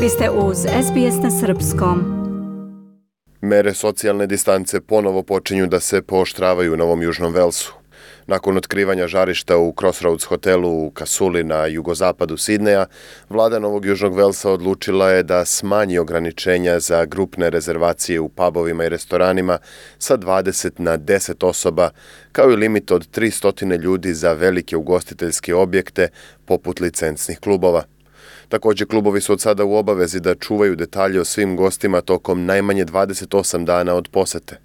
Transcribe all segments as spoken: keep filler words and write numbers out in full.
Vi ste uz S B S na srpskom. Mere socijalne distance ponovo počinju da se pooštravaju u Novom Južnom Velsu. Nakon otkrivanja žarišta u Crossroads hotelu u Kasuli na jugozapadu Sidneja, vlada Novog Južnog Velsa odlučila je da smanji ograničenja za grupne rezervacije u pubovima i restoranima sa dvadeset na deset osoba, kao i limit od tristo ljudi za velike ugostiteljske objekte poput licencnih klubova. Također, klubovi su od sada u obavezi da čuvaju detalje o svim gostima tokom najmanje dvadeset osam dana od posete.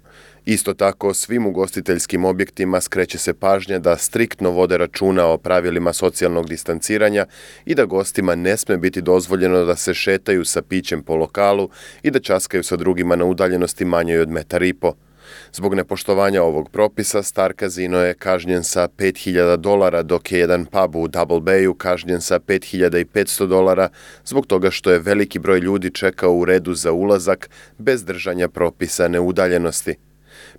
Isto tako, svim ugostiteljskim objektima skreće se pažnja da striktno vode računa o pravilima socijalnog distanciranja i da gostima ne sme biti dozvoljeno da se šetaju sa pićem po lokalu i da časkaju sa drugima na udaljenosti manjoj od metar i po. Zbog nepoštovanja ovog propisa, Star Casino je kažnjen sa pet hiljada dolara, dok je jedan pub u Double Bayu kažnjen sa pet hiljada petsto dolara zbog toga što je veliki broj ljudi čekao u redu za ulazak bez držanja propisane udaljenosti.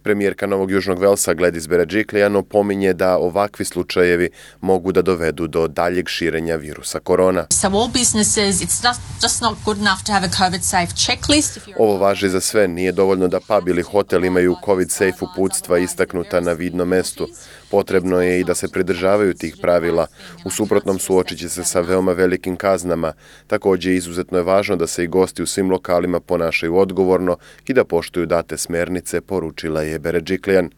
Premijerka Novog Južnog Velsa Gladys Berejiklian opominje da ovakvi slučajevi mogu da dovedu do daljeg širenja virusa korona. Ovo važi za sve, nije dovoljno da pub ili hotel imaju COVID-safe uputstva istaknuta na vidnom mestu. Potrebno je i da se pridržavaju tih pravila, u suprotnom suočit će se sa veoma velikim kaznama. Također, izuzetno je važno da se i gosti u svim lokalima ponašaju odgovorno i da poštuju date smernice, poručila je Berejiklian.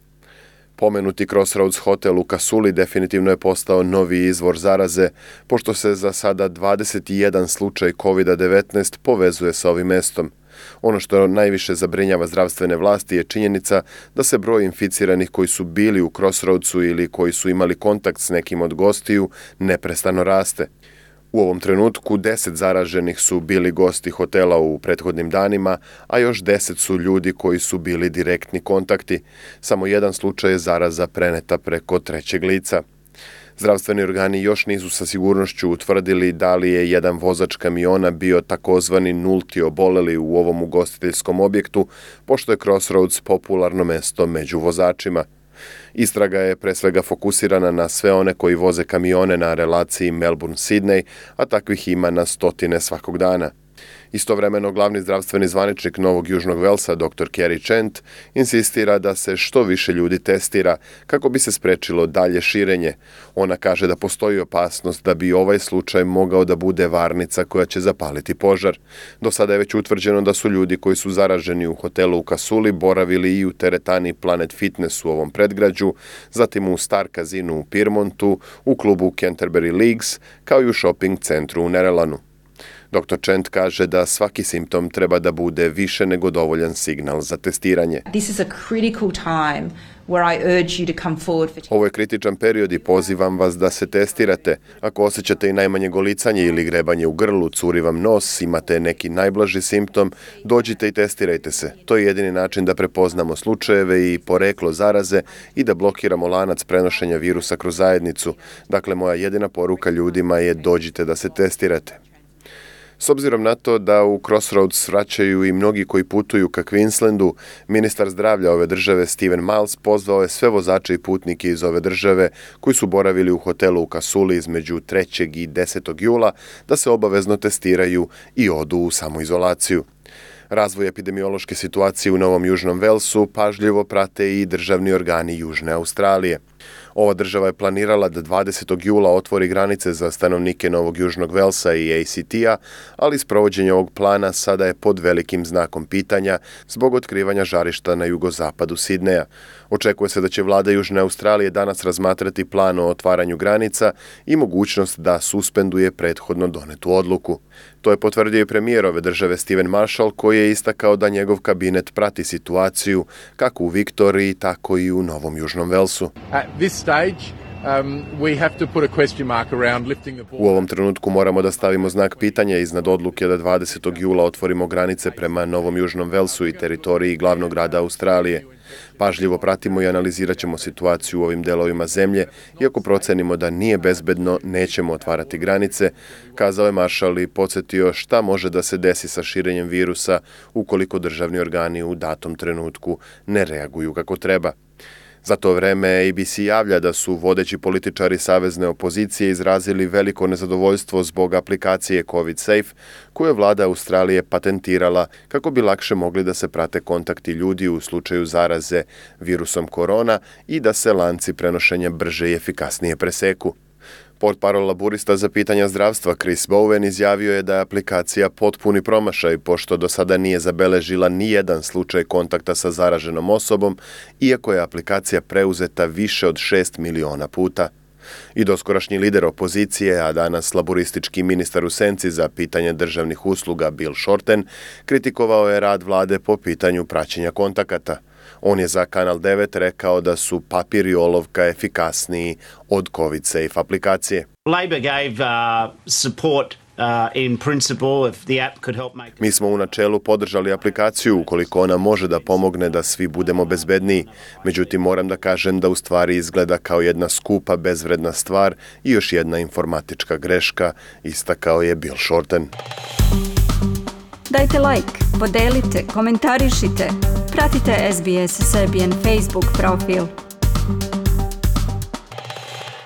Pomenuti Crossroads hotel u Kasuli definitivno je postao novi izvor zaraze, pošto se za sada dvadeset jedan slučaj kovid devetnaest povezuje sa ovim mestom. Ono što najviše zabrinjava zdravstvene vlasti je činjenica da se broj inficiranih koji su bili u Crossroadsu ili koji su imali kontakt s nekim od gostiju neprestano raste. U ovom trenutku deset zaraženih su bili gosti hotela u prethodnim danima, a još deset su ljudi koji su bili direktni kontakti. Samo jedan slučaj je zaraza preneta preko trećeg lica. Zdravstveni organi još nisu sa sigurnošću utvrdili da li je jedan vozač kamiona bio takozvani nulti oboleli u ovom ugostiteljskom objektu, pošto je Crossroads popularno mesto među vozačima. Istraga je pre svega fokusirana na sve one koji voze kamione na relaciji Melbourne-Sydney, a takvih ima na stotine svakog dana. Istovremeno, glavni zdravstveni zvaničnik Novog Južnog Velsa, doktor Kerry Chant, insistira da se što više ljudi testira kako bi se sprečilo dalje širenje. Ona kaže da postoji opasnost da bi ovaj slučaj mogao da bude varnica koja će zapaliti požar. Do sada je već utvrđeno da su ljudi koji su zaraženi u hotelu u Kasuli boravili i u teretani Planet Fitness u ovom predgrađu, zatim u Star Casinu u Pyrmontu, u klubu Canterbury Leagues, kao i u shopping centru u Nerelanu. doktor Chant kaže da svaki simptom treba da bude više nego dovoljan signal za testiranje. Ovo je kritičan period i pozivam vas da se testirate. Ako osjećate i najmanje golicanje ili grebanje u grlu, curi vam nos, imate neki najblaži simptom, dođite i testirajte se. To je jedini način da prepoznamo slučajeve i poreklo zaraze i da blokiramo lanac prenošenja virusa kroz zajednicu. Dakle, moja jedina poruka ljudima je dođite da se testirate. S obzirom na to da u Crossroads vraćaju i mnogi koji putuju ka Queenslandu, ministar zdravlja ove države Steven Miles pozvao je sve vozače i putnike iz ove države koji su boravili u hotelu u Kasuli između trećeg i desetog jula da se obavezno testiraju i odu u samoizolaciju. Razvoj epidemiološke situacije u Novom Južnom Velsu pažljivo prate i državni organi Južne Australije. Ova država je planirala da dvadesetog jula otvori granice za stanovnike Novog Južnog Velsa i A C T-a, ali sprovođenje ovog plana sada je pod velikim znakom pitanja zbog otkrivanja žarišta na jugozapadu Sidneja. Očekuje se da će vlada Južne Australije danas razmatrati plan o otvaranju granica i mogućnost da suspenduje prethodno donetu odluku. To je potvrdio i premijer ove države Stephen Marshall, koji je istakao da njegov kabinet prati situaciju kako u Viktoriji, tako i u Novom Južnom Velsu. U ovom trenutku moramo da stavimo znak pitanja iznad odluke da dvadesetog jula otvorimo granice prema Novom Južnom Velsu i teritoriji glavnog grada Australije. Pažljivo pratimo i analizirat ćemo situaciju u ovim delovima zemlje i ako procenimo da nije bezbedno, nećemo otvarati granice, kazao je Marshall i podsjetio šta može da se desi sa širenjem virusa ukoliko državni organi u datom trenutku ne reaguju kako treba. Za to vreme A B C javlja da su vodeći političari savezne opozicije izrazili veliko nezadovoljstvo zbog aplikacije COVID Safe, koju je vlada Australije patentirala kako bi lakše mogli da se prate kontakti ljudi u slučaju zaraze virusom korona i da se lanci prenošenja brže i efikasnije preseku. Portparol laburista za pitanja zdravstva Chris Bowen izjavio je da je aplikacija potpuni promašaj, pošto do sada nije zabeležila ni jedan slučaj kontakta sa zaraženom osobom, iako je aplikacija preuzeta više od šest miliona puta. I doskorašnji lider opozicije, a danas laburistički ministar u senci za pitanje državnih usluga Bill Shorten, kritikovao je rad vlade po pitanju praćenja kontakata. On je za Kanal devet rekao da su papir i olovka efikasniji od COVID Safe aplikacije. Labor gave uh, support uh, in principle if the app could help make... Mi smo u načelu podržali aplikaciju ukoliko ona može da pomogne da svi budemo bezbedniji. Međutim, moram da kažem da u stvari izgleda kao jedna skupa, bezvredna stvar i još jedna informatička greška, istakao je Bill Shorten. Dajte like, podelite, komentarišite. Pratite S B S Serbian Facebook profil.